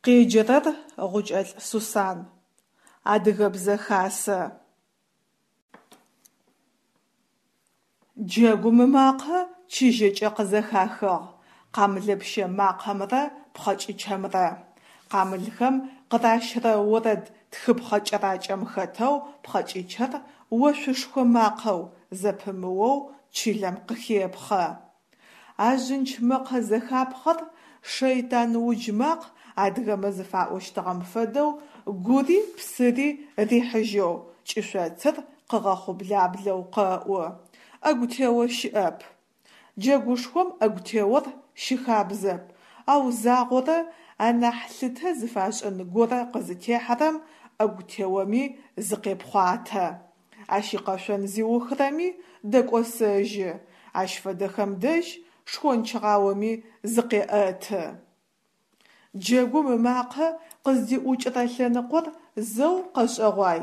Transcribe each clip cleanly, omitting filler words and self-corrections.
Къеджэрэр Гъукӏэлӏ Сусан. Адыгэбзэ хасэ. Джэгум ымакъэ чыжьэкӏэ къызэхахыгъ, къамылэпщэ макъэмрэ пхъэкӏычымрэ. Къамылхэм къыращырэ орэд тхыпхъэ кӏэракӏэм хэтэу пхъэкӏычыр ошъушхо макъэу зэпымыоу чылэм къыхепхъэ. А жъынч мэкъэ зэхапхъэр шэйтан удж макъ адыгэмэ зыфаӏощтыгъэм фэдэу гури псыри рихьыжьэу, кӏышъоцыр къыгъэхъублаблэу къэӏу. ӏэгу тео щыӏэп. Джэгушхом ӏэгу теор щыхабзэп, ау загъорэ анахь лъытэ зыфашӏын горэ къызытехьэрэм ӏэгу теоми зыкъепхъуатэ. Ащ икъэшъон зиухырэми дэкӏосэжьы, ащ фэдэхэм дэжь шхончгъаоми зыкъеӏэты. Джэгум ымакъэ къыздиӏукӏырэ лъэныкъор зэу къэшӏэгъуай,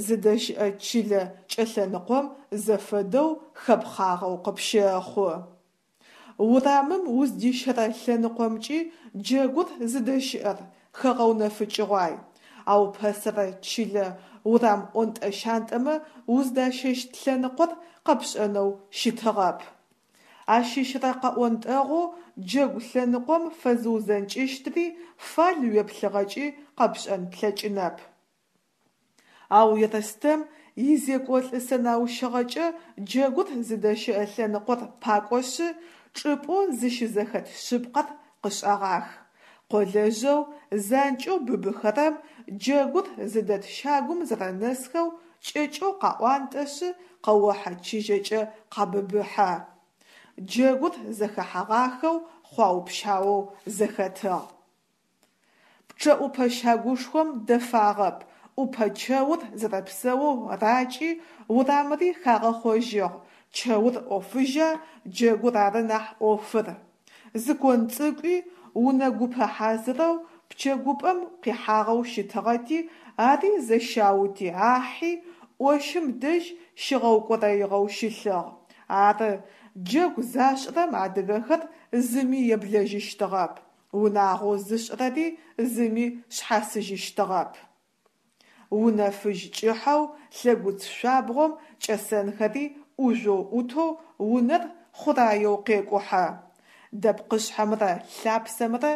зыдэщыӏэ чылэ кӏэлъэныкъом зэфэдэу хэпхъагъэу къыпщэхъу. Урамым уздищэрэ лъэныкъомкӏи джэгур зыдэщыӏэр хэгъэунэфыкӏыгъуай, ау пэсэрэ чылэ урам ӏонтӏэ-щантӏэмэ уздащэщт лъэныкъор къэпшӏэнэу щытыгъэп. Ащыщрэ къэӏонтӏэгъоу джэгу лъэныкъом фэзыузэнкӏыщтри фал уеплъыгъэкӏи къэпшӏэн плъэкӏынэп. Ау Ерстэм изекӏолӏы сэнаущыгъэкӏэ джэгур зыдэщыӏэ лъэныкъор пакӏошъы, чӏыпӏэу зыщызэхэт шъыпкъэр къышӏэгъах. Къолэжъэу занкӏэу быбыхэрэм джэгур зыдэт щагум зэрэнэсхэу кӏэкӏэу къаӏуантӏэшъы, къэохьэ чыжьэкӏэ къабыбыхьэ. Джэгур зэхэхьэгъахэу хъуау-пщаоу зэхэтыгъ. Пчъэӏупэ щагушхом дэфагъэп, ӏупэ чэур зэрэпсэоу ракӏи, урамри хагъэхъожьыгъ, чэур ӏофыжьа, джэгур ары нахь ӏофыр. Зы кон цӏыкӏуи унэ гупэ хьазырэу пчэгупӏэм къихьагъэу щытыгъэти, ари зэщаути ахьи, ӏощым дэжь щыгъэукӏорэигъэу щылъыгъ. Ары, джэгу зашӏырэм адыгэхэр зыми еблэжьыщтыгъэп, унагъоу зышӏырэри зыми шъхьасыжьыщтыгъэп. Унэ фыжь кӏыхьэу лъэгуц шъуабгъом кӏэсэнхэри ӏужъоу ӏутэу унэр хъураеу къекӏухьэ. Дэпкъышъхьэмрэ лъапсэмрэ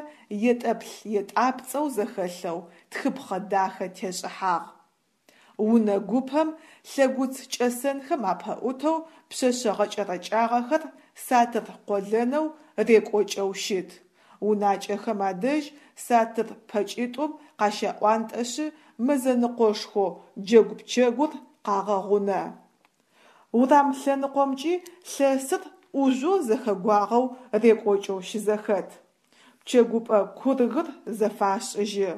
етӏэплъ-етӏапцӏэу зэхэлъэу тхыпхъэ дахэ тешӏыхьагъ. Унэ гупэм лъэгуц кӏэсэнхэм апэӏутэу пшъэшъэ гъэкӏэрэкӏагъэхэр сатыр къолэнэу рекӏокӏэу щыт. Унакӏэхэм адэжь сатыр пэкӏитӏум къащаӏуантӏэшъы мэзэныкъошхоу джэгу пчэгур къагъэгъунэ. Урам лъэныкъомкӏи лъэсыр ӏужъоу зэхэгуагъэу рекӏокӏэу щызэхэт. Пчэгупӏэ кургыр зэфашӏыжьы.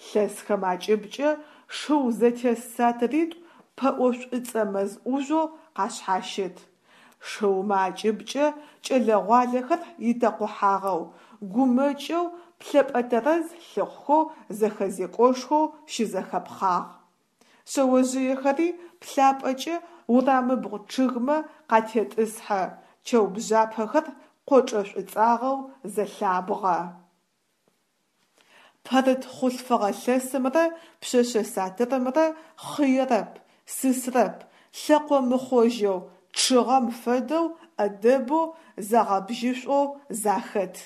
Лъэсхэм акӏыбкӏэ шыу зэтес сатыритӏу пэӏо шӏуцӏэ мэз ӏужъоу къашъхьащыт. Шыумэ акӏыбкӏэ кӏэлэ-гъуалэхэр итэкъухьагъэу, гумэкӏэу, плъэпӏэ тэрэз лъыхъухэу зэхэзекӏошхоу щызэхэпхъагъ. Шъэожъыехэри плъапӏэкӏэ урамыбгъу чъыгмэ къатетӏысхьэ, чэу бжъапэхэр къочӏэ шӏуцӏагъэу зэлъабгъэ. Пэрыт хъулъфыгъэ лъэсымрэ пшъэшъэ сатырымрэ хъыерэп, сысрэп, лъэкъо мыхъожьэу, чъыгъэм фэдэу ӏэдэбэу, загъэбжьышӏоу захэт.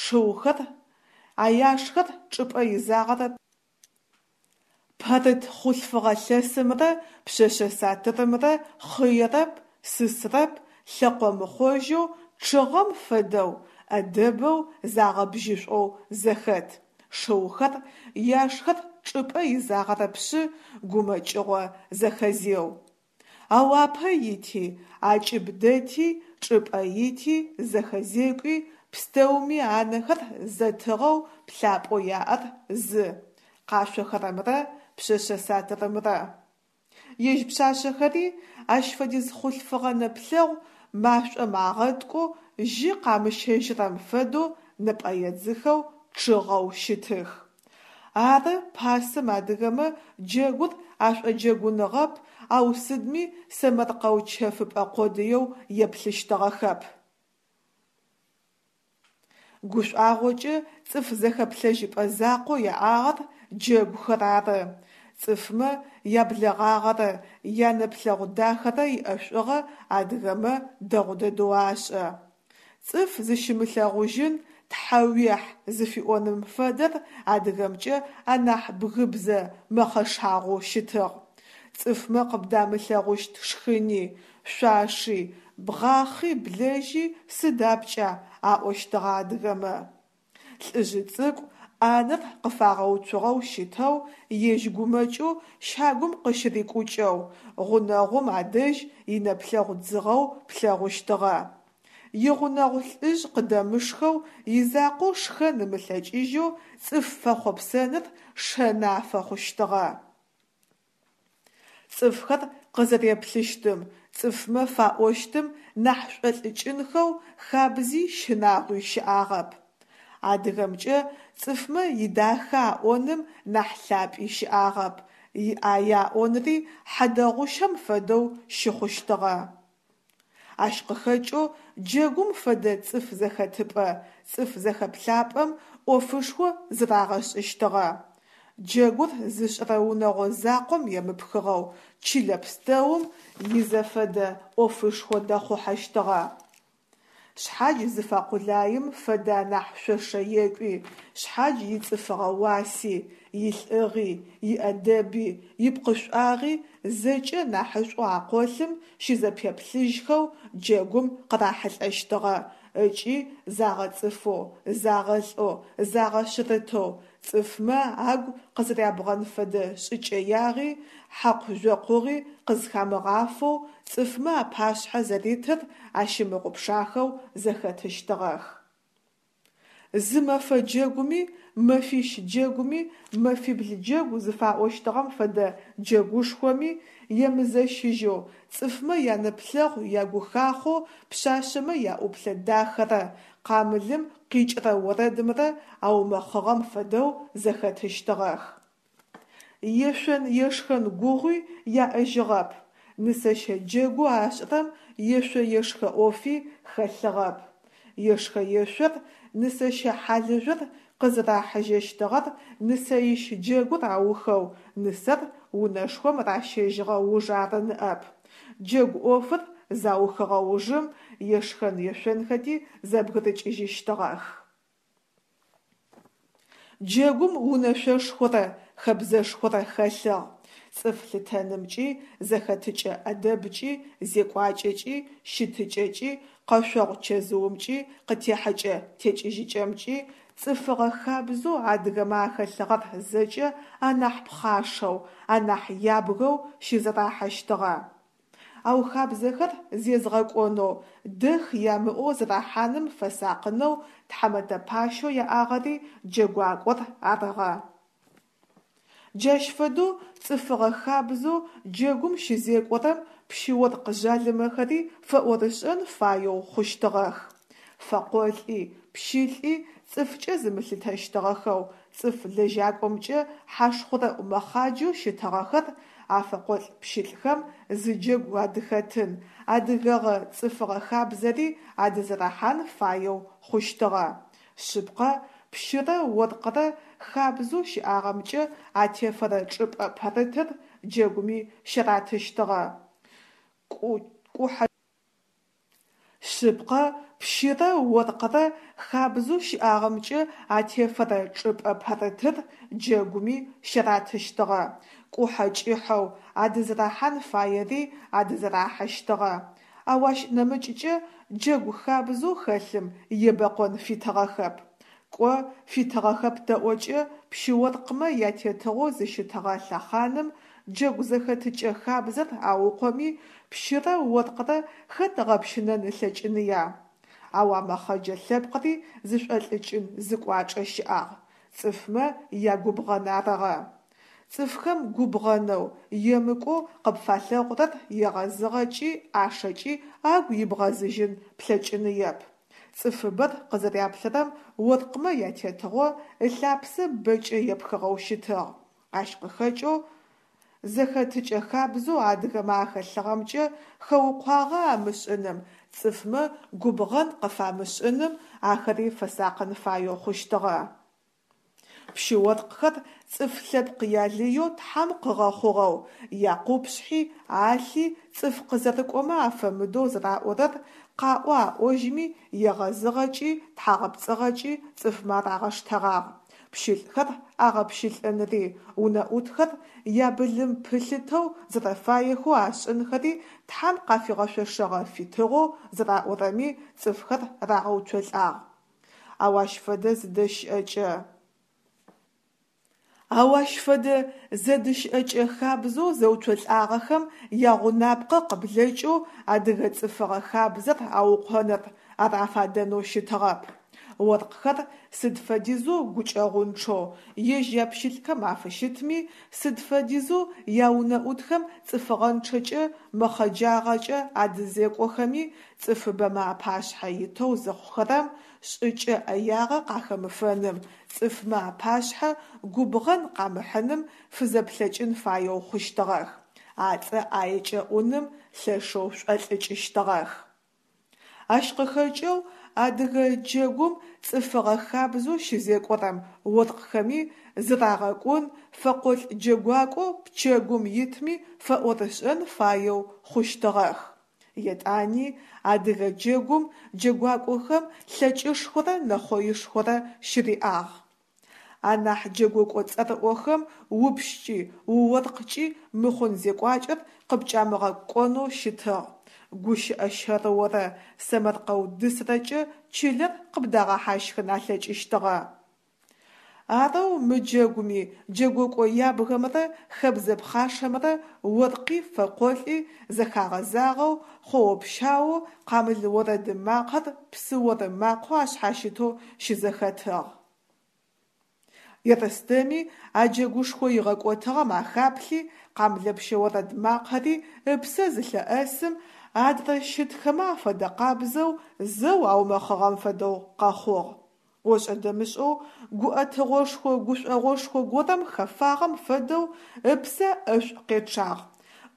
Шыухэр, аяшхэр чӏыпӏэ изагъэрэп. Пэрыт хъулъфыгъэ лъэсымрэ пшъэшъэ сатырымрэ хъыерэп, сысрэп, лъэкъо мыхъожьэу, чъыгъэм фэдэу, ӏэдэбэу, загъэбжьышӏоу зэхэт. Шыухэр, яшхэр чӏыпӏэ изагъэрэпшъы, гумэкӏыгъо зэхэзеу. Ау апэ ити, акӏыб дэти, чӏыпӏэ ити, зэхэзекӏуи, пстэуми анэхэр зэтыгъэу плъапӏэу яӏэр зы, къашъохэрэмрэ пшъэшъэ сатырымрэ. Ежь пшъашъэхэри ащ фэдиз хъулъфыгъэ нэплъэгъу машӏом агъэткӏоу жьы къамыщэжьырэм фэдэу нэпӏэедзыхэу чъыгъэу щытых. Ары, пасэм адыгэмэ джэгур ашӏоджэгуныгъэп, ау сыдми сэмэркъэу чэфыпӏэ къодыеу еплъыщтыгъэхэп. Гушӏуагъокӏэ цӏыф зэхэплъэжьыпӏэ закъоу яӏагъэр джэгухэр ары. Цӏыфмэ яблэгъагъэрэ янэплъэгъу дахэрэ иӏэшӏугъэ адыгэмэ дэгъу дэдэу ашӏэ. Цӏыф зыщымылъэгъужьын тхьэуехь зыфиӏоным фэдэр адыгэмкӏэ анахь бгыбзэ мэхъэшагъоу щытыгъ. Цӏыфмэ къыбдамылъэгъущт шхыни, шъуаши, бгъахъи блэжьи сыд апкӏа аӏощтыгъэ адыгэмэ. Лӏыжъы цӏыкӏу ӏанэр къыфагъэуцугъэу щытэу, ежь гумэкӏэу щагум къыщырикӏукӏэу, гъунэгъум адэжь инэплъэгъу дзыгъэу плъэгъущтыгъэ. Игъунэгъу лӏыжъ къыдэмышхэу изакъоу шхэн ымылъэкӏыжьэу цӏыф фэхъопсэныр шэны афэхъущтыгъэ. Цӏыфхэр къызэреплъыщтым, цӏыфмэ фаӏощтым нахь шӏолӏыкӏынхэу хабзи щынагъуи щыӏагъэп. Адыгэмкӏэ цӏыфмэ идахэ аӏоным нахь лъапӏи щыӏагъэп, иӏае аӏонри хьадэгъущэм фэдэу щыхъущтыгъэ. Ащ къыхэкӏэу джэгум фэдэ цӏыф зэхэтыпӏэ, цӏыф зэхэплъапӏэм ӏофышхо зырагъэшӏыщтыгъэ. Джэгур зышӏырэ унэгъо закъом емыпхыгъэу чылэ пстэум изэфэдэ ӏофышхо дэхъухьэщтыгъэ. Шъхьадж зыфэкъулаим фэдэ анахь шъошэ екӏуи, шъхьадж ицӏыфыгъэ уаси, илӏыгъи, иӏэдэби, ипкъышӏуагъи зэкӏэ нахьышӏоу акъолъым щызэпеплъыжьхэу джэгум къырахьылӏэщтыгъэ ыкӏи загъэцӏыфэу, загъэлӏэу, загъэшъырытэу, цӏыфмэ агу къызэрябгъэн фэдэ шӏыкӏэягъи, хьакъу-жъокъугъи къызхамыгъафэу цӏыфмэ апашъхьэ зэритыр ащымыгъупшахэу зэхэтыщтыгъэх. Зы мэфэ джэгуми, мэфищ джэгуми, мэфибл джэгу зыфаӏощтыгъэм фэдэ джэгушхоми емызэщыжьэу, цӏыфмэ янэплъэгъу ягухахъоу пшъашъэмэ яӏуплъэ дахэрэ къамылым къикӏырэ орэдымрэ аумэхъыгъэм фэдэу зэхэтыщтыгъэх. Ешъон-ешхэн гугъуи яӏэжьыгъэп, нысэщэ джэгоу ашӏырэм ешъо-ешхэ ӏофи хэлъыгъэп. Ешхэ-ешъор, нысэщэ хьалыжъор къызырахьыжьэщтыгъэр нысэищ джэгур аухэу нысэр унэшхом ращэжьыгъэ уж ары ныӏэп. Джэгу ӏофыр заухыгъэ ужым ешхэн-ешъонхэти зэбгырыкӏыжьыщтыгъэх. Джэгум унэшъошхорэ хэбзэшхорэ хэлъыгъ. Цӏыф лъытэнымкӏи, зэхэтыкӏэ ӏэдэбкӏи, зекӏуакӏэкӏи, щытыкӏэкӏи, къэшъогъу чэзыумкӏи, къытехьэкӏэ текӏыжьыкӏэмкӏи, цӏыфыгъэ хабзэу адыгэмэ ахэлъыгъэр зэкӏэ анахь пхъашэу, анахь ябгэу щызэрахьэщтыгъэ. Ау хабзэхэр зезгъэкӏонэу, дэх ямыӏэу зэрахьаным фэсакъынэу тхьамэтэ пащэу яӏагъэри джэгуакӏор арыгъэ. Джащ фэдэу цӏыфыгъэ хабзэу джэгум щызекӏорэм пщы-оркъ жъалымэхэри фэӏорышӏэн фаеу хъущтыгъэх. Фэкъолӏи, пщылӏи цӏыфкӏэ зымылъытэщтыгъэхэу, цӏыф лэжьакӏомкӏэ хьашхъурэӏу мэхъаджэу щытыгъэхэр а фэкъолӏ-пщылӏхэм зы джэгу адыхэтын, адыгэгъэ цӏыфыгъэ хабзэри адызэрахьан фаеу хъущтыгъэ. Шъыпкъэ, пщырэ оркърэ хабзэу щыӏагъэмкӏэ атефэрэ чӏыпӏэ пэрытыр джэгуми щаратыщтыгъэ. Кӏухьэ. Шъыпкъэ, пщырэ оркърэ хабзэу щыӏагъэмкӏэ атефэрэ чӏыпӏэ пэрытыр джэгуми щаратыщтыгъэ, кӏухьэ кӏыхьэу адызэрахьан фаери адызэрахьэщтыгъэ. Ау ащ нэмыкӏкӏэ джэгу хабзэу хэлъым ебэкъон фитыгъэхэп. Кӏо, фитыгъэхэп тэӏокӏэ, пщы-оркъмэ ятетыгъоу зыщытыгъэ лъэхъаным джэгу зэхэтыкӏэ хабзэр аукъоми, пщырэ оркърэ хэт ыгъэпщынэн ылъэкӏыныя? Ау а мэхъэджэ лъэпкъри зышӏолӏыкӏын зы кӏуачӏэ щыӏагъ, цӏыфмэ ягубгъэн арыгъэ. Цӏыфхэм губгъэнэу, емыкӏоу къыпфалъэгъурэр егъэзыгъэкӏи ӏашэкӏи агу ибгъэзыжьын плъэкӏыныеп. Цӏыфыбэр къызэряплъырэм оркъмэ ятетыгъо ылъапсэ бэкӏэ епхыгъэу щытыгъ. Ащ къыхэкӏэу зэхэтыкӏэ хабзэу адыгэмэ ахэлъыгъэмкӏэ хэукъуагъэ амышӏыным цӏыфмэ губгъэн къыфамышӏыным ахэри фэсакъын фаеу хъущтыгъэ. Пщы-оркъхэр цӏыф лъэпкъ ялыеу Тхьэм къыгъэхъугъэу, якъупшъхьи, алъи цӏыф къызэрыкӏомэ афэмыдэу зэраӏорэр къаӏо-аӏожьми, егъэзыгъэкӏи тхьагъэпцӏыгъэкӏи цӏыфмэ арагъэштэгъагъ. Пщылӏхэр агъэпщылӏынри, унэӏутхэр ябылым пылъытэу зэрэфаехэу ашӏынхэри Тхьэм къафигъэшъошэгъэ фитыгъэу зэраӏорэми цӏыфхэр рагъэуцолӏагъ. Ау ащ фэдэ зыдэщыӏэкӏэ. Ау ащ фэдэ зэдыщыӏэкӏэ хабзэу зэуцолӏагъэхэм ягъунапкъэ къыблэкӏэу адыгэ цӏыфыгъэ хабзэр аукъоныр, ар афадэнэу щытыгъэп. Оркъхэр сыд фэдизэу гукӏэгъунчъэу ежь япщылӏхэм афыщытми, сыд фэдизэу яунэӏутхэм цӏыфыгъэнчъэкӏэ, мэхъэджагъэкӏэ адызекӏохэми, цӏыфыбэмэ апашъхьэ итэу зыхъухэрэм, шӏыкӏэ ӏэягъэ къахэмыфэным, цӏыфмэ апашъхьэ губгъэн къамыхьыным фызэплъэкӏын фаеу хъущтыгъэх, ацӏэ ӏаекӏэ ӏуным лъэшэу шӏолӏыкӏыщтыгъэх. Ащ къыхэкӏэу адыгэ джэгум цӏыфыгъэ хабзэу щызекӏорэм оркъхэми зырагъэкӏун, фэкъолӏ джэгуакӏоу пчэгум итми фэӏорышӏэн фаеу хъущтыгъэх. Етӏани адыгэ джэгум джэгуакӏохэм лъэкӏышхорэ нэхъоишхорэ щыриӏагъ. Анахь джэгокӏо цӏэрыӏохэм упщкӏи, уоркъкӏи мыхъун зекӏуакӏэр къыпкӏамыгъэкӏонэу щытыгъ, гущыӏэ щэрыорэ сэмэркъэу дысрэкӏэ чылэр къыбдагъэхьащхын алъэкӏыщтыгъэ. Арэу мы джэгуми джэгокӏо ябгэмрэ хэбзэ пхъашэмрэ оркъи фэкъолӏи зэхагъэзагъэу, хъоо-пщаоу къамыл орэд макъэр псы оры макъэу ашъхьащытэу щызэхэтыгъ. Ерстэми а джэгушхо игъэкӏотыгъэм ахаплъи, къамлэпщэ орэд макъэри ыпсэ зылъэӏэсым, адрэ щытхэмэ афэдэкъабзэу зэу аумэхъыгъэм фэдэу къэхъугъ. Ошӏэ-дэмышӏэу гуӏэтыгъошхо-гушӏогъошхо горэм хэфагъэм фэдэу ыпсэ ӏэшӏу къечъагъ,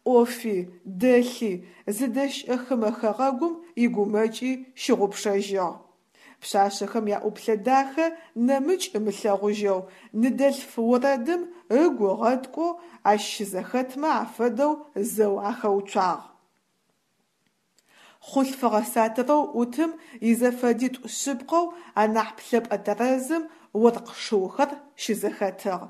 ӏофи, дэлъи, зыдэщыӏэ хымэ хэгъэгум игумэкӏи щыгъупшэжьыгъ. Пшъашъэхэм яӏуплъэ дахэ нэмыкӏ ымылъэгъужьэу, ныдэлъф орэдым ыгу ыгъэткӏоу ащ щызэхэтмэ афэдэу зэу ахэуцуагъ. Хъулъфыгъэ сатырэу ӏутым изэфэдитӏу шъыпкъэу анахь плъэпӏэ тэрэзым оркъ шыухэр щызэхэтыгъ.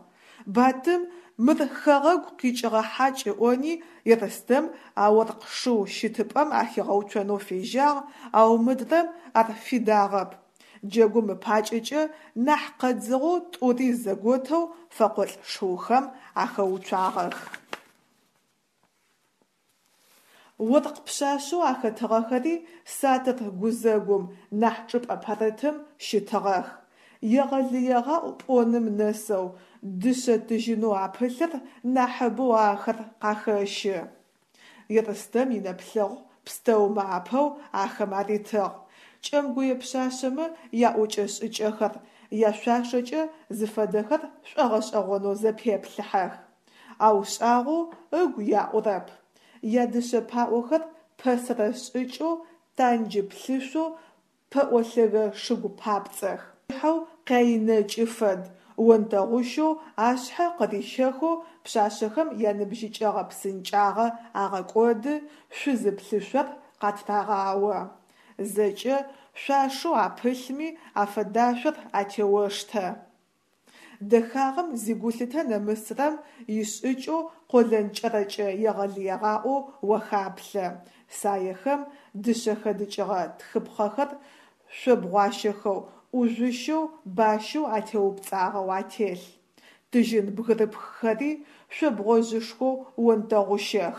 Батым мыр хэгъэгу къикӏыгъэ хьакӏ ыӏони, Ерстэм а оркъ шыу щытыпӏэм ахигъэуцонэу фежьагъ, ау мыдрэм ар фидагъэп. Джэгум ыпакӏэкӏэ нахь къэдзыгъэу тӏури зэготэу фэкъолӏ шыухэм ахэуцуагъэх. Оркъ пшъашъэу ахэтыгъэхэри сатыр гузэгум, нахь чӏыпӏэ пэрытым щытыгъэх. Егъэлыегъаӏу пӏоным нэсэу, дышъэ-тыжьынэу апылъыр нахьыбэу ахэр къахэщы. Ерстэм инэплъэгъу пстэумэ апэу ахэм аритыгъ. Кӏэмгуе пшъашъэмэ яӏокӏэ-шӏыкӏэхэр, яшъуашэкӏэ зыфэдэхэр шӏогъэшӏэгъонэу зэпеплъыхьэх. Ау шӏагъоу ыгу яӏурэп. Ядышъэ паӏохэр пэсэрэ шӏыкӏэу танджы плъышъоу пэӏо лъэгэ шыгу папцӏэх. Хьэу къяинэкӏы фэд, онтэгъущэу ашъхьэ къырищэхэу пшъашъэхэм яныбжьыкӏэгъэ псынкӏагъэ агъэкӏоды, шъузы плъышъор къатрагъао. Зэкӏэ шъуашэу апылъми афэдашъор атеоштэ. Дэхагъэм зигулъытэ нэмысрэм ишӏыкӏэу къолэн кӏэрэкӏэ егъэлыегъаӏоу уахаплъэ. Саехэм дышъэ хэдыкӏыгъэ тхыпхъэхэр шъобгъуащэхэу, ӏужъущэу, бащэу атеупцӏагъэу ателъ. Тыжьын бгырыпххэри шъобгъожъышхоу онтэгъущэх.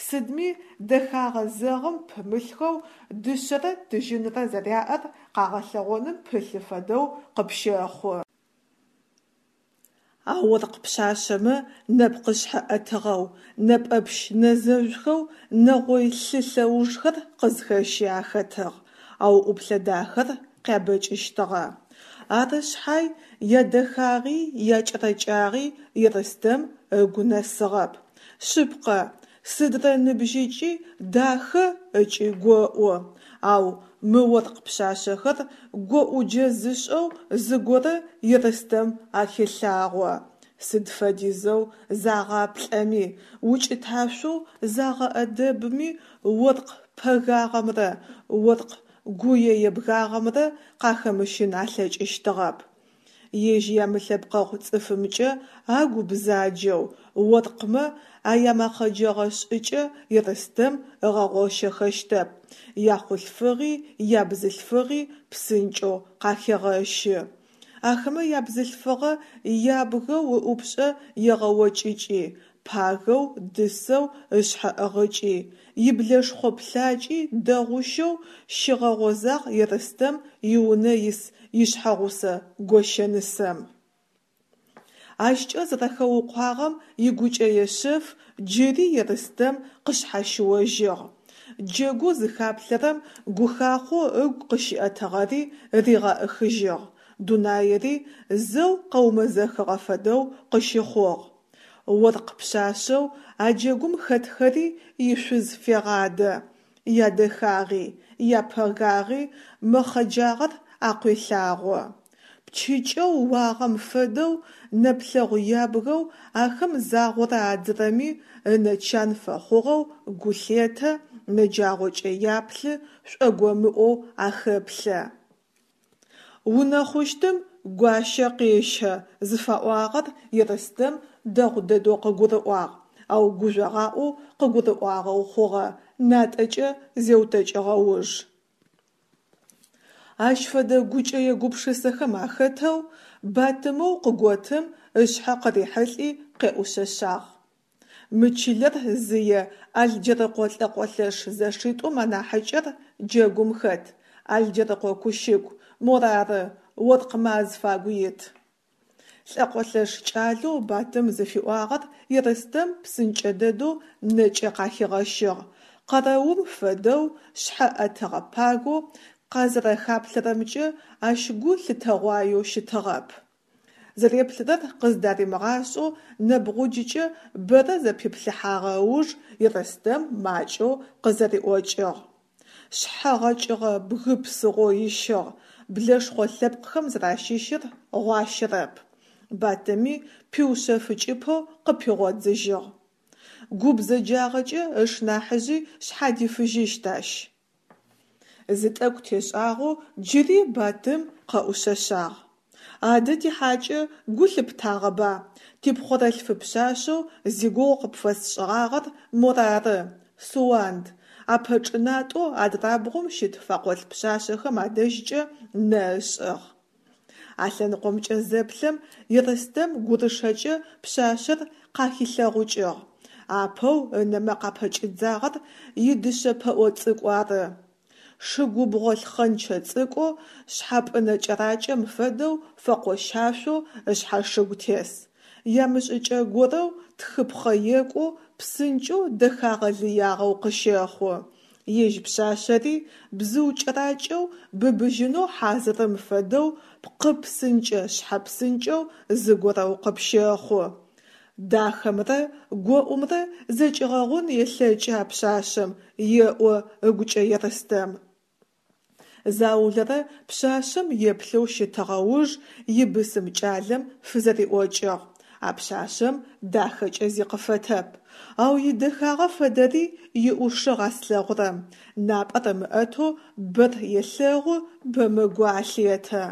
Сыдми дэхагъэ зэгъым пымылъхэу дышъэрэ тыжьынрэ зэряӏэр къагъэлъэгъоным пылъы фэдэу къыпщэхъу. А оркъ пшъашъэмэ нэпкъышъхьэ ӏэтыгъэу, нэпӏэпщ нэзэжъухэу нэгъой лъы лъэужхэр къызхэщи ахэтыгъ, ау ӏуплъэ дахэр къябэкӏыщтыгъэ. Ары шъхьай, ядэхагъи якӏэрэкӏагъи Ерстэм ыгу нэсыгъэп. Шъыпкъэ, Сыдрэ ныбжьыкӏи дахэ ыкӏи гоӏу, ау мы оркъ пшъашъэхэр гоӏуджэ зышӏэу зыгорэ Ерстэм ахелъагъо. Сыд фэдизэу загъаплӏэми, укӏыташъоу загъэӏэдэбми оркъ пэгагъэмрэ оркъ гуе-ебгагъэмрэ къахэмыщын алъэкӏыщтыгъэп. Ежь ямылъэпкъэгъу цӏыфымкӏэ агу бзаджэу, оркъмэ аямэхъэджэгъэ шӏыкӏэ Ерстэм ыгъэгъощэхэщтэп, яхъулъфыгъи ябзылъфыгъи псынкӏэу къахегъэщы. Ахэмэ ябзылъфыгъэ ябгэу ыӏупшӏэ егъэокӏыкӏи, пагэу, дысэу ышъхьэ ӏыгъыкӏи, иблэшхъо плъакӏи дэгъущэу щигъэгъозагъ Ерстэм иунэ ис ишъхьэгъусэ гощэнысэм. Ащкӏэ зэрэхэукъуагъэм игукӏэе шъэф джыри Ерстэм къышъхьащыожьыгъ. Джэгоу зыхаплъэрэм гухахъоу ыгу къыщиӏэтыгъэри ригъэӏыхыжьыгъ, дунаири зэу къэумэзэхыгъэ фэдэу къыщыхъугъ. Оркъ пшъашъэу а джэгум хэтхэри ишъуз фегъадэ, ядэхагъи, япэгагъи мэхъэджагъэр акъуелъагъо. Пчыкӏэу уагъэм фэдэу нэплъэгъу ябгэу ахэм загъорэ адзырэми ынэ чан фэхъугъэу гу лъетэ, нэджагъокӏэ яплъы, шӏогомыӏоу ахэплъэ. Унэхъущтым гуащэ къещэ зыфаӏуагъэр Ерстэм дэгъу дэдэу къыгурыӏуагъ, ау гужъогъаӏоу къыгурыӏуагъэу хъугъэ, натӏэкӏэ зеутэкӏыгъэ уж. Ащ фэдэ гукӏэе гупшысэхэм ахэтэу Батымэу къыготым ышъхьэ къырихьылӏи къеӏушъэшъагъ. Мы чылэр зые Алджэрыкъо лӏэкъолъэш зэшитӏум анахьыкӏэр джэгум хэт, Алджэрыкъо Кущыку, морары, оркъмэ азфагу ит. Лӏэкъолъэш кӏалэу Батым зыфиӏуагъэр Ерстэм псынкӏэ дэдэу нэкӏэ къахигъэщыгъ, къэрэум фэдэу шъхьэ ӏэтыгъэ пагэу къазэрэхаплъэрэмкӏэ ащ гу лъытэгъуаеу щытыгъэп. Зэреплъырэр къыздаримыгъашӏэу нэбгъуджыкӏэ бэрэ зэпиплъыхьагъэ ыуж Ерстэм макӏэу къызэриӏокӏыгъ. Шъхьэ гъэкӏыгъэ бгы псыгъо ищыгъ, блэшхъо лъэпкъхэм зэращыщыр гъуащэрэп. Батыми пиушъэфыкӏыпэу къыпигъодзыжьыгъ. Гу бзэджагъэкӏэ ышнахьыжъи шъхьадифыжьыщт ащ. Зы тӏэкӏу тешӏагъэу джыри Батым къэӏушъэшъагъ. Адэ тихьакӏэ гу лъыптагъэба? Типхъорэлъфы пшъашъэу зигугъу къыпфэсшӏыгъагъэр морары, Суанд, апэчӏынатӏэу адрабгъум щыт фэкъолӏ пшъашъэхэм адэжькӏэ нэ ышӏыгъ. А лъэныкъомкӏэ зэплъэм, Ерстэм гурышэкӏэ пшъашъэр къахилъэгъукӏыгъ. Апэу ынэмэ къапэкӏидзагъэр идышъэ пэӏо цӏыкӏу ары. Шы губгъо лъхъэнчэ цӏыкӏоу шъхьапӏынэ кӏэракӏэм фэдэу фэкъощашъоу ышъхьашыгу тес. Ямышӏыкӏэ горэу тхыпхъэ екӏоу псынкӏэу дэхагъэ лыягъэу къыщэхъу. Ежь пшъашъэри бзыу кӏэракӏэу быбыжьынэу хьазырым фэдэу пкъы псынкӏэ шъхьэ псынкӏэу зыгорэу къыпщэхъу. Дахэмрэ гоӏумрэ зэкӏигъэгъун елъэкӏы а пшъашъэм, еӏо ыгукӏэ Ерстэм. Заулэрэ пшъашъэм еплъэу щытыгъэ уж ибысым кӏалэм фызэриӏокӏыгъ: А пшъашъэм дахэкӏэ зи къыфэтэп. Ау идэхагъэ фэдэри иӏушыгъ а слъэгъурэм, напӏэр ымыӏэтэу бэр елъэгъу, бэмэ гу алъетэ.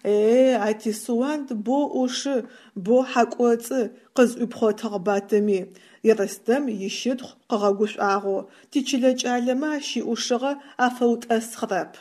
Е-е, а ти Суанд бо ӏушы, бо хьакӏоцӏы, къызӏуипхъотыгъ Батыми, Ерстэм ищытхъу къыгъэгушӏуагъэу, тичылэ кӏалэмэ ащ иӏушыгъэ афэутӏэсхъырэп.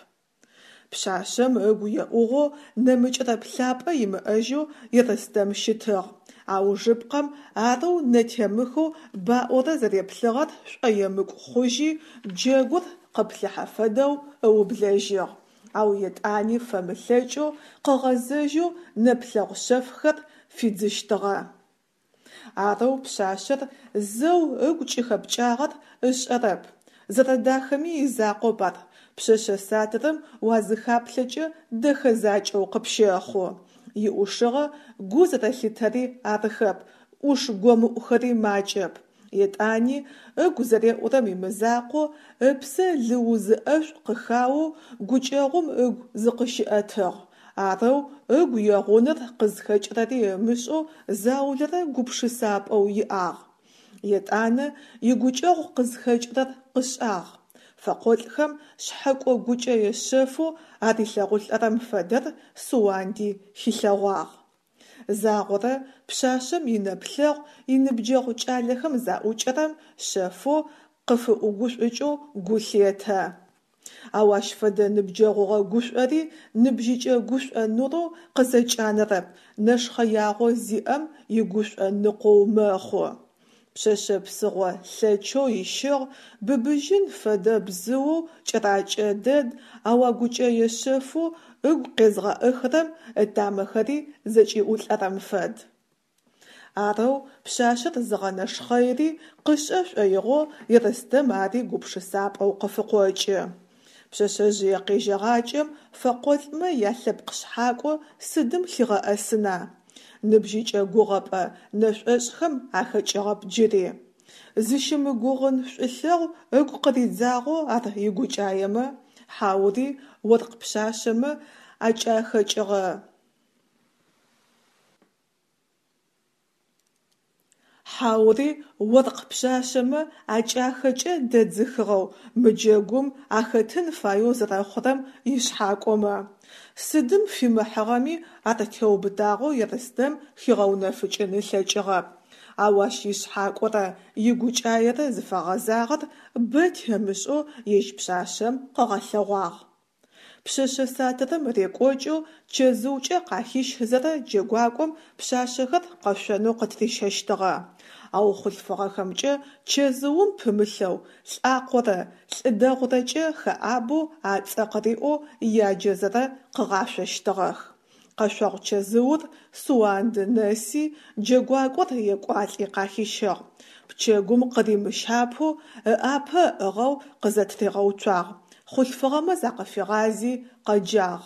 Пшъашъэм ыгу еӏугъэу, нэмыкӏырэ плъапӏэ имыӏэжьэу Ерстэм щытыгъ. Аужыпкъэм арэу нэтемыхэу баӏорэ зэреплъыгъэр шӏоемыкӏу хъужьи, джэгур къыплъыхьэ фэдэу ыублэжьыгъ. Ау етӏани фэмылъэкӏэу къыгъэзэжьэу нэплъэгъу шъэфхэр фидзыщтыгъэ. Арэу пшъашъэр зэу ыгу кӏыхэпкӏагъэр ышӏэрэп. Зэрэдахэми изакъоп ар, пшъэшъэ сатырым уазыхаплъэкӏэ дэхэ закӏэу къыпщэхъу. Иӏушыгъэ гу зэрэлъитэри арыхэп, ӏуш гомыӏухэри макӏэп. Етӏани ыгу зэреӏурэм имызакъоу, ыпсэ лыузы ӏэшӏу къыхаоу гукӏэгъум ыгу зыкъыщиӏэтыгъ, арэу ыгу егъуныр къызхэкӏырэри ымышӏэу заулэрэ гупшысапӏэу иӏагъ. Етӏанэ игукӏэгъу къызхэкӏырэр къышӏагъ. Фэкъолӏхэм шъхьэкӏо гукӏэе шъэфэу арилъэгъулӏэрэм фэдэр Суанди хилъэгъуагъ. Загъорэ пшъашъэм инэплъэгъу иныбджэгъу кӏалэхэм заӏукӏэрэм шъэфэу къыфыӏугушӏукӏэу гу лъетэ. Ау ащ фэдэ ныбджэгъугъэ гушӏори ныбжьыкӏэ гушӏо нурэу къызэкӏанэрэп, нэшхъэягъо зиӏэм игушӏо ныкъоу мэхъу. Пшъэшъэ псыгъо лъэчэу ищыгъ, быбыжьын фэдэ бзыоу кӏэракӏэ дэд, ау а гукӏэе шъэфэу ыгу къезгъэӏыхырэм ытамэхэри зэкӏиӏулӏэрэм фэд. Арэу пшъашъэр зыгъэнэшхъэири къышӏэ шӏоигъоу Ерстэм ари гупшысапӏэу къыфыкъокӏы. Пшъэшъэжъые къежьэгъакӏэм фэкъолӏмэ ялъэпкъ шъхьакӏо сыдым лъигъэӏэсына? Ныбжьыкӏэ гугъэпӏэ нэшӏошӏхэм ахэкӏыгъэп джыри. Зыщымыгугъын шӏулъэгъу ыгу къыридзагъэу ар игукӏаемэ, хьаури оркъ пшъашъэмэ акӏахэкӏыгъэ. Хьаури оркъ пшъашъэмэ акӏахэкӏэ дэдзыхыгъэу мы джэгум ахэтын фаеу зэрэхъурэм ишъхьакӏомэ? Сыдым фимыхьыгъэми ар теубытагъэу Ерстэм хигъэунэфыкӏын ылъэкӏыгъэп. Ау ащ ишъхьакӏорэ игукӏаерэ зыфэгъэзагъэр бэ темышӏэу ежь пшъашъэм къыгъэлъэгъуагъ. Пшъэшъэ сатырым рекӏокӏэу чэзыукӏэ къахищызэрэ джэгуакӏом пшъашъэхэр къэшъонэу къытырищэщтыгъэ. Ау хъулъфыгъэхэмкӏэ чэзыум пымылъэу лӏакъорэ лӏы дэгъурэкӏэ хэӏабэу ацӏэ къыриӏоу яджэзэрэ къыгъашъощтыгъэх. Къэшъогъу чэзыур Суанды нэси, джэгуакӏор екӏуалӏи къахищыгъ. Пчэгум къыримыщапэу ыӏапэ ыӏыгъэу къызэтыригъэуцуагъ, хъулъфыгъэмэ закъыфигъази къэджагъ.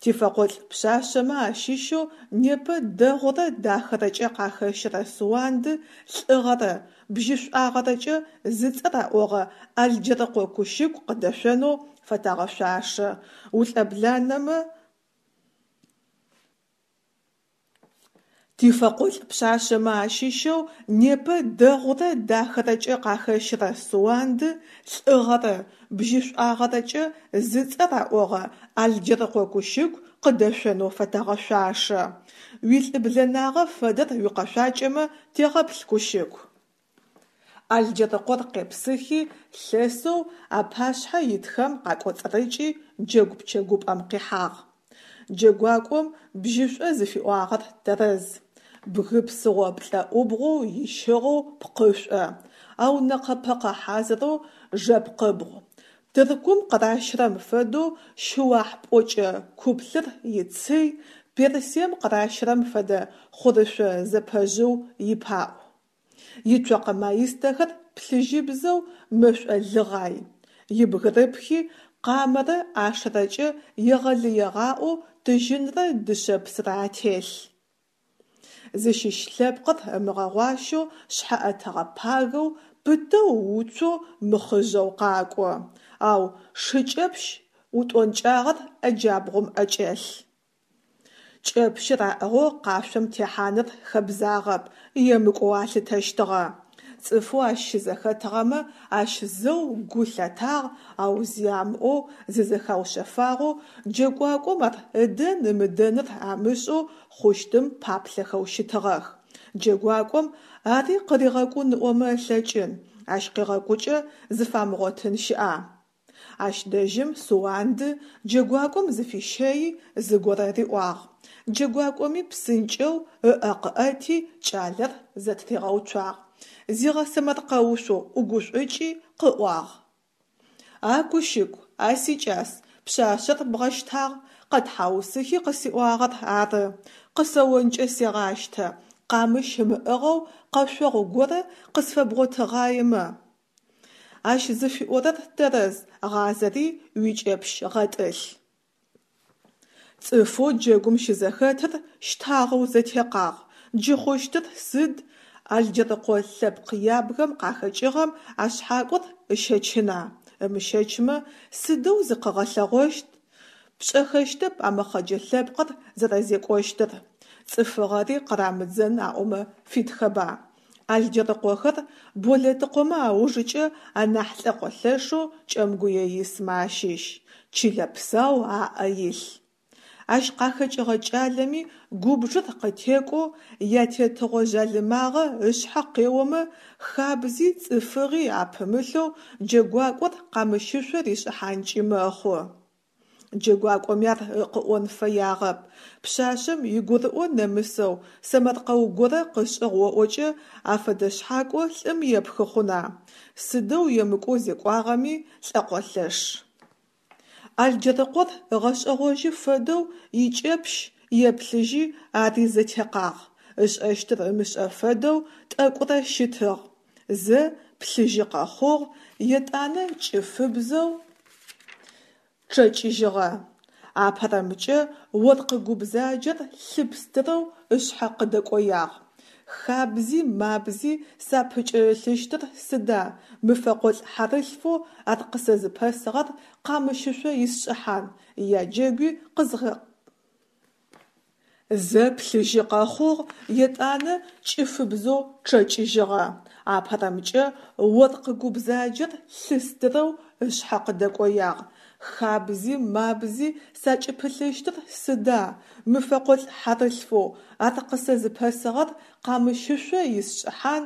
Тифэкъолӏ пшъашъэмэ ащыщэу непэ дэгъурэ дахэрэкӏэ къахэщырэ Суанды лӏыгъэрэ бжьышӏуагъэрэкӏэ зыцӏэ раӏогъэ Алджэрыкъо Кущыку къыдэшъонэу фэтэгъэшъуашэ. Улӏэбланэмэ Тифэкъолӏ пшъашъэмэ ащыщэу непэ дэгъурэ дахэрэкӏэ къахэщырэ Суанды лӏыгъэрэ бжьышӏуагъэрэкӏэ зыцӏэ раӏогъэ Алджэрыкъо Кущыку къыдэшъонэу фэтэгъэшъуашэ. Уилӏыблэнагъэ фэдэр уикъэшъуакӏэмэ тегъэплъ, Кущыку. Алджэрыкъор къепсыхи, лъэсэу апашъхьэ итхэм къакӏоцӏырыкӏи джэгу пчэгупӏэм къихьагъ. Джэгуакӏом бжьышӏо зыфиӏуагъэр тэрэз. Бгы псыгъо плӏэӏубгъоу ищыгъэу пкъышӏо, ау нэкъэ-пэкъэ хьазырэу жэпкъыбгъу. Тыркум къыращырэм фэдэу шыуахь пӏокӏэ куплъыр ицый, Персием къыращырэм фэдэ хъурышъо зэпэжъыу ипаӏу. Ицокъэ маистэхэр плъыжьыбзэу мэшӏо лыгъай. Ибгырыпхи къамэрэ ӏашэрэкӏэ егъэлыегъаӏоу тыжьынрэ дышъэпсрэ ателъ. Зыщыщ лъэпкъыр ымыгъэгъуащэу шъхьэӏэтыгъэ пагэу, пытэу уцоу мыхъыжъэу къакӏо. Ау шыкӏэпщ утӏонкӏагъэр ӏэ джабгъум ӏэкӏэлъ. Кӏэпщыр аӏыгъэу къашъом техьаныр хэбзагъэп, емыкӏоу алъытэщтыгъэ. Цӏыфэу ащ щызэхэтыгъэмэ ащ зэу гу лъатагъ, ау зи амыӏоу зызэхаушъэфагъэу, джэгуакӏом ар ыдэн-ымыдэныр амышӏэу хъущтым паплъэхэу щытыгъэх. Джэгуакӏом ари къыригъэкӏун ыӏомэ ылъэкӏын, ащ къегъэкӏукӏэ зыфамыгъотын щыӏа? Ащ дэжьым Суанды джэгуакӏом зыфищэи зыгорэ риӏуагъ. Джэгуакӏоми псынкӏэу ыӏэ къыӏэти кӏалэр зэтыригъэуцуагъ. Зигъэсэмэркъэушъоу ӏугушӏукӏи къыӏуагъ. А Кущыку, а сикӏас, пшъашъэр бгъэщтагъ, къэтхьаусыхи къысиӏуагъэр ары. Къысэонкӏэ сегъащтэ, къамыщ ымыӏыгъэу къэшъогъу горэ къысфэбгъотыгъаемэ. Ащ зыфиӏорэр тэрэз, гъазэри уикӏэпщ гъэтӏылъ. Цӏыфэу джэгум щызэхэтыр щтагъэу зэтекъагъ. Джы хъущтыр сыд? Алджэрыкъо лъэпкъ ябгэм къахэкӏыгъэм а шъхьакӏор ыщэчына, ымыщэчмэ, сыдэу зыкъыгъэлъэгъощт? Пшӏэхэщтэп а мэхъэджэ лъэпкъыр зэрэзекӏощтыр. Цӏыфыгъэри къырамыдзэн аӏомэ фитхэба. Алджэрыкъохэр Болэтыкъомэ аужыкӏэ анахь лӏэкъо лъэшэу Кӏэмгуе исмэ ащыщ. Чылэ псау аӏэ илъ. Ащ къахэкӏыгъэ кӏалэми губжыр къытекӏоу, ятетыгъо жъалымагъэ ышъхьэ къеомэ, хабзи цӏыфыгъи апымылъэу джэгуакӏор къамыщышъо ришӏыхьанкӏи мэхъу. Джэгуакӏоми ар къыӏон фэягъэп. Пшъашъэм игурыӏо нэмысэу сэмэркъэу горэ къышӏыгъ оӏокӏэ, афэдэ шъхьакӏо лӏым епхы хъуна? Сыдэу емыкӏоу зекӏуагъэми, лӏэкъолъэш. Алджэрыкъор ыгъэшӏэгъожьы фэдэу икӏэпщ еплъыжьи, ари зэтекъагъ, ышӏэщтыр ымышӏэ фэдэу тӏэкӏурэ щытыгъ. Зэ плъыжьы къэхъугъ, етӏанэ кӏыфыбзэу чъэкӏыжьыгъэ. Апэрэмкӏэ оркъ гу бзаджэр лъы пстырэу ышъхьэ къыдэкӏоягъ. Хабзи-мабзи сапыкӏэрылъыщтыр сыда, мы фэкъолӏ хьарылъфэу ар къысэзыпэсыгъэр къамыщышъо исшӏыхьан, яджэгуи къызгъэ. Зэ плъыжьы къэхъугъ, етӏанэ кӏыфыбзэу чъэкӏыжьыгъэ. Апэрэмкӏэ оркъ гу бзаджэр лъы стырэу ышъхьэ къыдэкӏоягъ. Хабзи-мабзи сакӏыпылъыщтыр сыда, мы фэкъолӏ хьарылъфэу ар къысэзыпэсыгъэр къамыщышъо исшӏыхьан,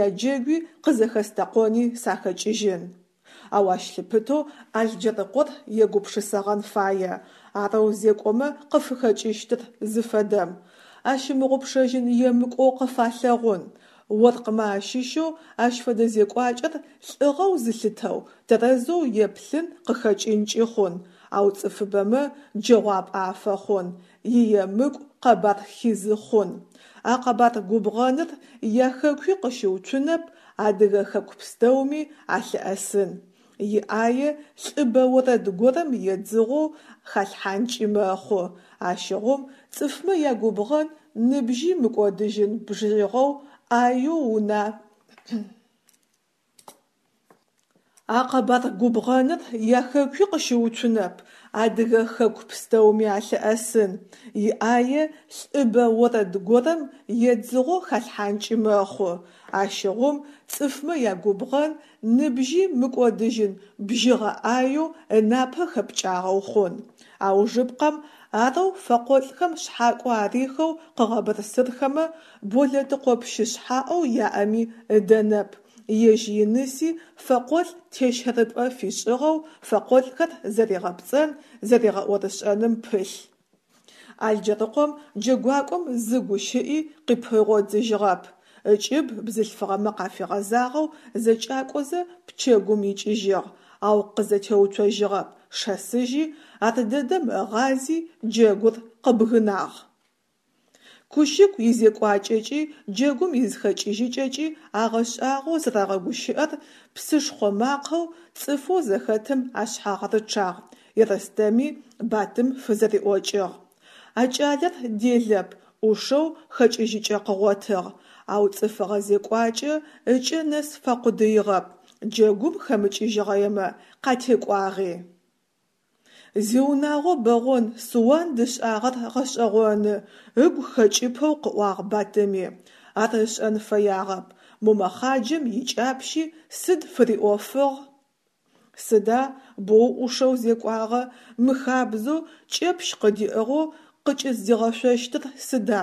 яджэгуи къызэхэстэкъони сахэкӏыжьын. Ау ащ лъыпытэу Алджэрыкъор егупшысэгъэн фае, арэу зекӏомэ къыфыхэкӏыщтыр зыфэдэм, ащымыгъупшэжьын емыкӏоу къыфалъэгъун. Оркъмэ ащыщэу ащ фэдэ зекӏуакӏэр лӏыгъэу зылъытэу, тэрэзэу еплъын къыхэкӏынкӏи хъун, ау цӏыфыбэмэ джэгъуапӏэ афэхъун, иемыкӏу къэбар хизы хъун. А къэбар губгъэныр яхэкуи къыщыуцунэп, адыгэ хэку пстэуми алъыӏэсын. Иӏае лӏыбэ орэд горэм едзыгъоу халъхьанкӏи мэхъу. Ащыгъум цӏыфмэ ягубгъэн ныбжьи мыкӏодыжьын бжьыгъэу ӏаеу уна. А къэбар губгъэныр яхэкуи къыщыуцунэп, адыгэ хэку пстэуми алъыӏэсын. Иӏае лӏыбэ орэд горэм едзыгъоу халъхьанкӏи мэхъу. Ащыгъум цӏыфмэ ягубгъэн ныбжьи мыкӏодыжьын бжьыгъэ ӏаеу ынапэ хэпкӏагъэу хъун. Аужыпкъэм арэу фэкъолӏхэм шъхьакӏо арихэу къыгъэбырсырхэмэ, Болэтыкъо пщы шъхьаӏэу яӏэми ыдэнэп, ежь иныси фэкъолӏ тещэрыпӏэ фишӏыгъэу фэкъолӏхэр зэригъэпцӏэн, зэригъэӏорышӏэным пылъ. Алджэрыкъом джэгуакӏом зы гущыӏи къыпигъодзыжьыгъэп, ыкӏыб бзылъфыгъэмэ къафигъэзагъэу зэкӏакӏозэ пчэгум икӏыжьыгъ, ау къызэтеуцожьыгъэп, шэсыжьи, ардэдэм ыгъази джэгур къыбгынагъ. Кущыку изекӏуакӏэкӏи джэгум изыхэкӏыжьыкӏэкӏи агъэшӏагъоу зэрагъэгущыӏэр псышхъо макъэу цӏыфэу зэхэтым ашъхьагъ рычъагъ, Ерстэми Батым фызэриӏокӏыгъ. А кӏалэр делэп, ӏушэу хэкӏыжьыкӏэ къыгъотыгъ, ау цӏыфыгъэ зекӏуакӏэ ыкӏэ нэс факъудыигъэп, джэгум хэмыкӏыжьыгъэемэ, къатекӏуагъи. Зиунагъо бэгъон Суанд ышӏагъэр гъэшӏэгъоны, ыгу хэкӏыпэу къыӏуагъ Батыми. Ар ышӏэн фэягъэп, мо мэхъаджэм икӏапщи сыд фыриӏофыгъ? Сыда боу ӏушэу зекӏуагъэ, мыхабзэу кӏэпщ къыдиӏыгъэу къыкӏыздигъэшъощтыр сыда?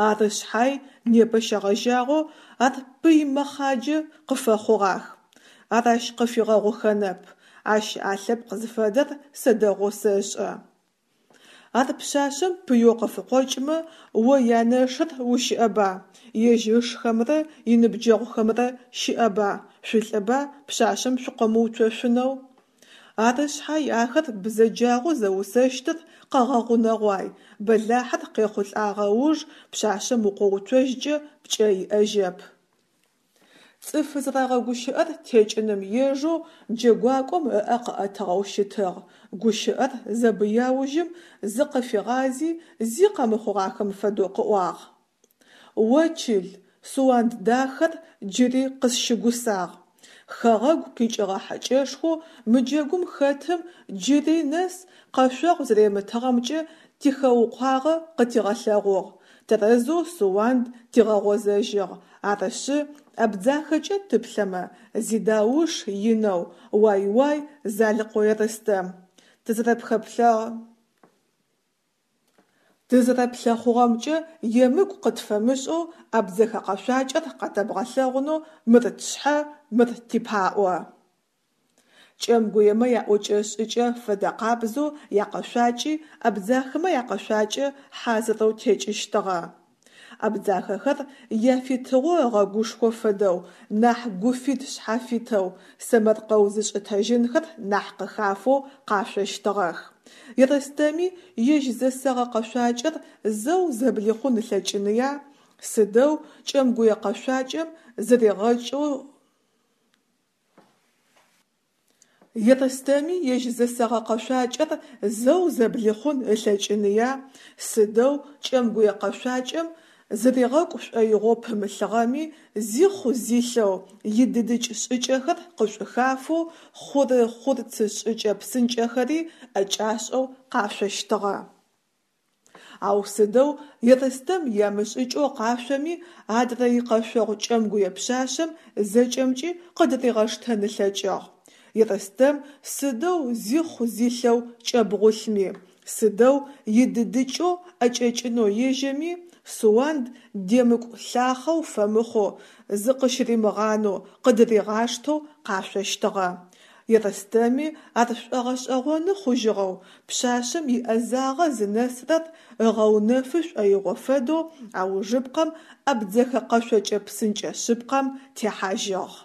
Ары шъхьай, непэ щегъэжьагъэу ар пый мэхъаджэ къыфэхъугъах. Ар ащ къыфигъэгъухэнэп. Ащ а лъэпкъ зыфэдэр сэ дэгъоу сэшӏэ. Ар пшъашъэм пыеу къыфыкъокӏмэ, о янэшыр ущыӏэба, ежь ышхэмрэ иныбджэгъухэмрэ щыӏэба, шъулӏыба пшъашъэм шъукъомыуцошъунэу? Ары шъхьай ахэр бзэджагъэу зэусэщтыр къэгъэгъунэгъуай, бэлахьыр къехъулӏагъэ ыуж пшъашъэм укъоуцожькӏэ пкӏэ иӏэжьэп. Цӏыф зэрагъэгущыӏэр текӏыным ежэу джэгуакӏом ыӏэ къыӏэтыгъэу щытыгъ. Гущыӏэр зэбыяужьым зыкъыфигъази, зи къэмыхъугъахэм фэдэу къыӏуагъ. О чыл, Суанд дахэр джыри къысщыгусагъ. Хэгъэгу къикӏыгъэ хьэкӏэшхоу мы джэгум хэтым джыри нэс къэшъогъу зэремытыгъэмкӏэ тихэукъуагъэ къытигъэлъэгъугъ, тэрэзэу Суанд тигъэгъозэжьыгъ, арышъы, Абдзахэкӏэ тыплъэмэ, зидауш инэу уай-уай Залыкъо Ерстэм, тызэрэплъэхъугъэмкӏэ емыкӏу къытфэмышӏэу абдзэхэ къэшъуакӏэр къэтэбгъэлъэгъунэу мыр тшъхьэ, мыр типаӏо. Кӏэмгуемэ яӏокӏэ-шӏыкӏэ фэдэкъабзэу якъэшъуакӏи абдзахэмэ якъэшъуакӏэ хьазырэу текӏыщтыгъэ. Абдзахэхэр яфитыгъо ыгъэгушхо фэдэу, нахь гуфит-шъхьафитэу, сэмэркъэу зышӏытэжьынхэр нахь къыхафэу къашъощтыгъэх. Ерстэми ежь зэсэгъэ къэшъуакӏэр зэу зэблихъун ылъэкӏыныя, сыдэу кӏэмгуе къэшъуакӏэм зыригъэкӏоу Ерстэми ежь зэсэгъэ къэшъуакӏэр зэу зэблихъун ылъэкӏыныя, сыдэу кӏэмгуе къэшъуакӏэм зыригъэкӏу шӏоигъоу пымылъыгъэми, зихъу-зилъэу, идыдыкӏ шӏыкӏэхэр къышӏухафэу хъуры-хъурцы шӏыкӏэ псынкӏэхэри ӏэкӏашӏэу къашъощтыгъэ. Ау сыдэу Ерстэм ямышӏыкӏэу къашъоми, адрэ икъэшъогъу кӏэмгуе пшъашъэм зэкӏэмкӏи къыдыригъэштэн ылъэкӏыгъ. Ерстэм сыдэу зихъу-зилъэу кӏэбгъулъми, сыдэу идыдыкӏэу ӏэкӏэкӏынэу ежьэми, Суанд демыкӏу-лъахъэу фэмыхъоу, зыкъыщыримыгъанэу, къыдыригъаштэу къашъощтыгъэ. Ерстэми ар шӏогъэшӏэгъоны хъужьыгъэу, пшъашъэм иӏэзагъэ зынэсырэр ыгъэунэфы шӏоигъо фэдэу аужыпкъэм абдзэхэ къэшъокӏэ псынкӏэ шъыпкъэм техьажьыгъ.